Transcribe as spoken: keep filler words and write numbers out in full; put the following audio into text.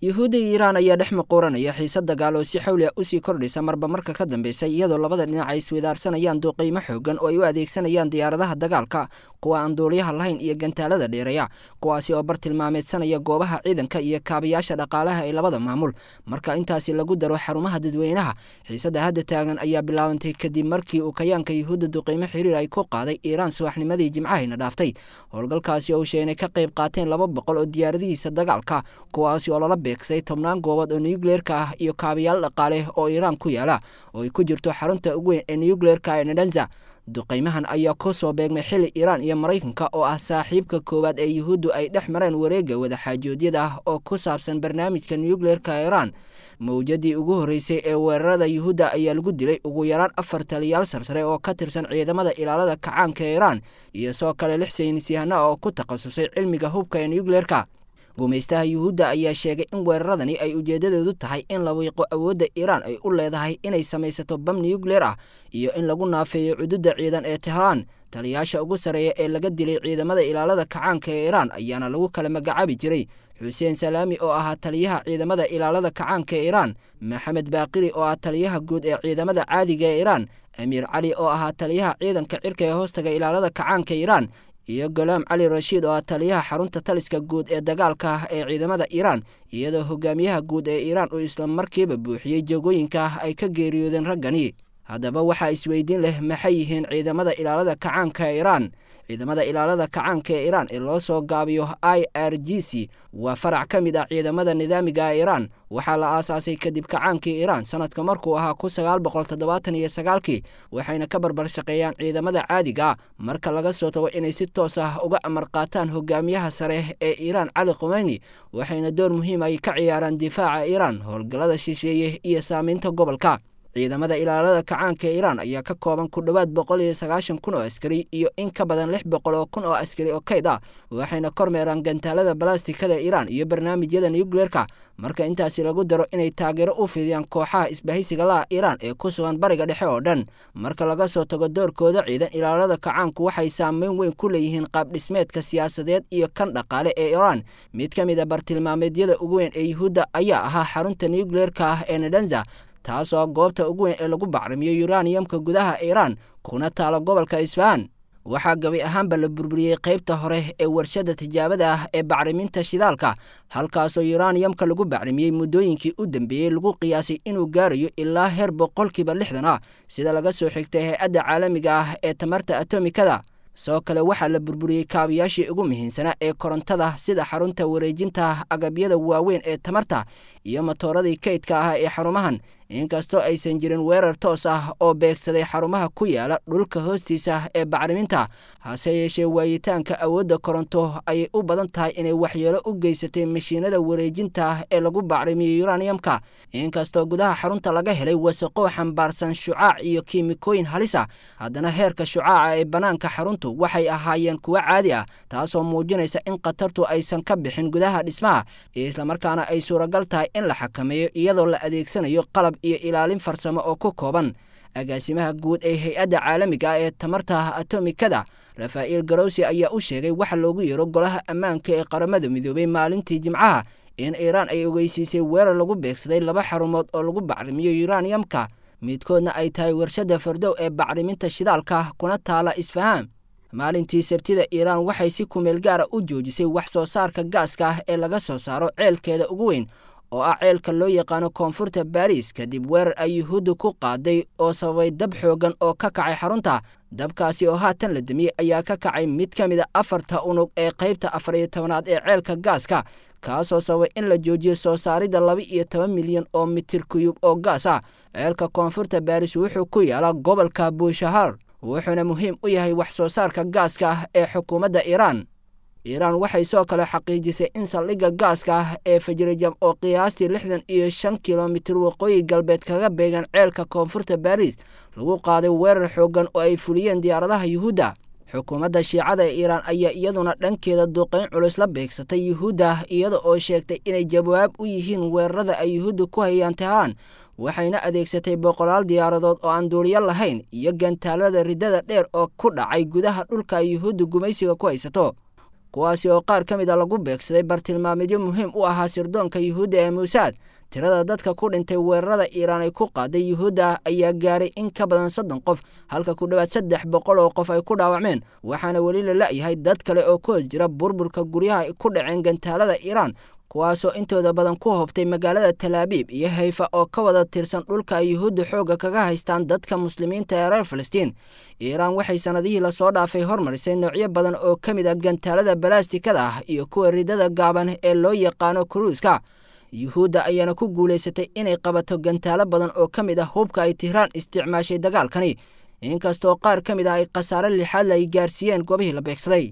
Yuhuudda iyo Iiraan ayaa dhex muquuranaya xiise dagaal oo si xawli ah usii kordhaysa marba marka ka dambaysa, iyadoo labada dhinac ay isweydaarsanayaan duqeymo xoogan oo ay u adeegsanayaan diyaaradaha dagaalka, kuwa aan duuliyaha lahayn iyo gantaalada dheereeya, kuwaasi oo bartilmaameedsanaya goobaha ciidanka iyo kaabayaasha dhaqaalaha ee labada maamul, marka intaasi lagu daro xarumaha dadweynaha. Xiisadda hadda taagan ayaa bilaabantay kadib markii uu kayaanka Yuhuudda duqeymo xiriir ay ku qaaday Iiraan subaxnimadii Jimcahayna dhaaftay. Howlgalkaasi oo sheegay ka qayb qaateen laba boqol oo diyaaradihiisa dagaalka, kuwaasi oo lala beegsay tobnaan goobood oo nucleerka ah iyo kaabayaal dhaqaale oo Iiraan ku yaala, oo ay ku jirto xarunta ugu weyn ee nucleerka ee Nadanza. Duqeymahan ayaa ku soo beegmay xilli Iiraan iyo Maraykanka oo ah saaxiibka koowaad ee Yuhuuddu ay dhex mareen wareegga wadaxaajoodyada ah oo ku saabsan barnaamijka nucleerka Iiraan. Mawjadii ugu horreysay ee weerarada Yuhuudda ayaa lagu dilay ugu yaraan afar taliyaal sarsare oo ka tirsan ciidamada ilaalada kacaanka ee Iiraan, iyo soo kale lix saynisyahana oo ku takhasusay cilmiga hubka ee nucleerka. Gumaystaha Yuhuudda ayaa sheegay in weeraradani ay ujeedadoodu tahay in la wiiqo awoodda Iiraan ay u leedahay inay samaysato bam nucleer ah iyo in lagu naafeeyo cududda ciidan ee Tehraan. Taliyaasha ugu sarreeya ee laga dilay ciidamada ilaalada kacaanka ee Iiraan ayaana lagu kala magacaabi jiray Xuseen Salaami oo ahaa taliyaha ciidamada ilaalada kacaanka ee Iiraan, Maxamed Baaqiri oo ah taliyaha guud ee ciidamada caadiga ee Iiraan, Amiir Cali oo ahaa taliyaha ciidanka cirka ee hoostaga ilaalada kacaanka Iiraan, iyo Golaam Cali Rashiid oo ah taliyaha xarunta taliska guud ee dagaalka ah ee ciidamada Iiraan, iyadoo hogaamiyaha guud ee Iiraan uu isla markiiba buuxiyey jagooyinka ay ka geeriyoodeen raggani. Haddaba waxaa isweydiin leh, maxay yihiin ciidamada ilaalada kacaanka ee Iiraan? Ciidamada ilaalada kacaanka ee Iiraan ee loo soo gaabiyo I R G C waa farac ka mid ah ciidamada nidaamiga ee Iiraan. Waxaa la aasaasay kadib kacaankii Iiraan sanadka markuu ahaa kun sagaal boqol toddobaatan iyo sagaalkii, waxayna ka barbar shaqeeyaan ciidamada caadiga ah, marka laga soo tago inay si toos ah uga amar qaataan hogaamiyaha sare ee Iiraan Cali Khumeyni. Waxayna door muhiim ay ka ciyaaraan difaaca Iiraan, howlgallada shisheeye iyo saameynta gobolka. Ciidamada ilaalada kacaanka ee Iiraan ayaa ka kooban ku dhowaad boqol iyo sagaashan kun oo askari iyo in ka badan lix boqol oo kun oo askari oo kayd ah, waxayna kormeeraan gantaalada balastikada Iiraan iyo barnaamijyada nucleerka, marka intaasi lagu daro inay taageero u fidiyaan kooxaha isbahaysiga laha Iiraan ee ku sugan Bariga Dhexe oo dhan. Marka laga soo tago doorkooda ciidan, ilaalada kacaanku waxay saameyn weyn ku leeyihiin qaab dhismeedka siyaasadeed iyo kan dhaqaale ee Iiraan. Mid ka mid a bartilmaameedyada ugu weyn ee Yuhuudda ayaa ahaa xarunta nucleerka ah ee Nadanza, taasoo goobta ugu weyn ee lagu bacrimiyo yuraniyamka gudaha Iiraan, kuna taalo gobolka Isfahan. Waxaa gabi ahaanba la burburiyey qaybta hore ee warshadda tijaabada ah ee bacriminta shidaalka, halkaasoo yuraniyamka lagu bacrimiyey muddooyinkii u dambeeyey lagu qiyaasay inuu gaarayo ilaa heer boqolkiiba lixdan ah, sida laga soo xigtay hay-adda caalamiga ah ee tamarta atomikada. Sidoo kale waxaa la burburiyey kaabayaashii ugu muhiimsanaa ee korontada, sida xarunta wareejinta agabyada waaweyn ee tamarta iyo matooradii kaydka ah ee xarumahan. Inkastoo aysan jirin weerar toos ah oo beegsaday xarumaha ku yaala dhulka hoostiisa ee bacriminta, hase yeeshee waayitaanka awoodda koronto ayay u badan tahay inay waxyeelo u geysatay mashiinada wareejinta ee lagu bacrimiyo yuraniyamka. Inkastoo gudaha xarunta laga helay wasaqo xambaarsan shucaac iyo kiimikooyin halis ah, haddana heerka shucaaca ee bannaanka xaruntu waxay ahaayeen kuwo caadi ah, taasoo muujinaysa in khatartu aysan ka bixin gudaha dhismaha, islamarkaana ay suuragal tahay in la xakameeyo iyadoo la adeegsanayo qalab iyo ilaalin farsamo oo ku kooban. Agaasimaha guud ee hay-adda caalamiga ah ee tamarta atomikada Rafaa'il Garowsi ayaa u sheegay waxa loogu yeero golaha ammaanka ee Qaramada Midoobay maalintii Jimcaha in Iiraan ay ogeysiisay weerar lagu beegsaday laba xarumood oo lagu bacrimiyo yuraniyamka, midkoodna ay tahay warshadda Fardow ee bacriminta shidaalka kuna taala Isfahaan. Maalintii Sabtida Iiraan waxay si kumeel gaara u joojisay wax soo saarka gaaska ah ee laga soo saaro ceelkeeda ugu weyn oo ah ceelka loo yaqaano koonfurta Baariis, kadib weerar ay Yuhuudda ku qaaday oo sababay dab xoogan oo ka kacay xarunta. Dabkaasi oo haatan la damiyey ayaa ka kacay mid ka mid a afarta unug ee qaybta afar iyo tobanaad ee ceelka gaaska, kaasoo sababay in la joojiyo soo saaridda laba iyo toban milyan oo mitir kuyub oo gaas ah. Ceelka koonfurta Baariis wuxuu ku yaalaa gobolka Buushahar, wuxuuna muhiim u yahay wax soo saarka gaaska ah ee xukuumadda Iiraan. Iiraan waxay sidoo kale xaqiijisay in saldhigga gaaska ah ee Fajrijam oo qiyaastii lixdan iyo shan kilomitir waqooyi galbeed kaga beegan ceelka koonfurta Baariis lagu qaaday weerar xooggan oo ay fuliyeen diyaaradaha Yuhuudda. Xukuumadda Shiicada ee Iiraan ayaa iyaduna dhankeeda duqeyn culus la beegsatay Yuhuudda, iyada oo sheegtay inay jawaab u yihiin weerarada ay Yuhuudda ku hayaan Tehraan, waxayna adeegsatay boqolaal diyaaradood oo aan duuliyo lahayn iyo gantaalada riddada dheer oo ku dhacay gudaha dhulka ay Yuhuudda gumaysiga ku haysato. kuwaasi oo qaar ka mid a lagu beegsaday bartilmaameedyo muhiim u ahaa sirdoonka yuhuudda ee muusaad. Tirada dadka ku dhintay weerarada Iiraan ay ku qaaday yuhuudda ayaa gaaray in ka badan soddon qof, halka ku dhowaad saddex boqol oo qof ay ku dhaawacmeen, waxaana weli la la'yahay dad kale oo ku hoos jira burburka guryaha ay ku dhaceen gantaalada Iiraan, kuwaasoo intooda badan ku hobtay magaalada Talaabiib iyo Hayfa oo ka wada tirsan dhulka ay yuhuudda xoogga kaga haystaan dadka muslimiinta ee reer Falastiin. Iiraan waxay sannadihii lasoo dhaafay hormarisay noocyo badan oo ka mid ah gantaalada balaastikada ah iyo kuwa ridada gaaban ee loo yaqaano kuruuska. Yuhuudda ayaana ku guulaysatay inay qabato gantaalo badan oo ka mid ah hubka ay Tihraan isticmaashay dagaalkani, inkastoo qaar ka mid ah ay khasaare lixaad ay gaarsiiyeen goobihii la beegsaday.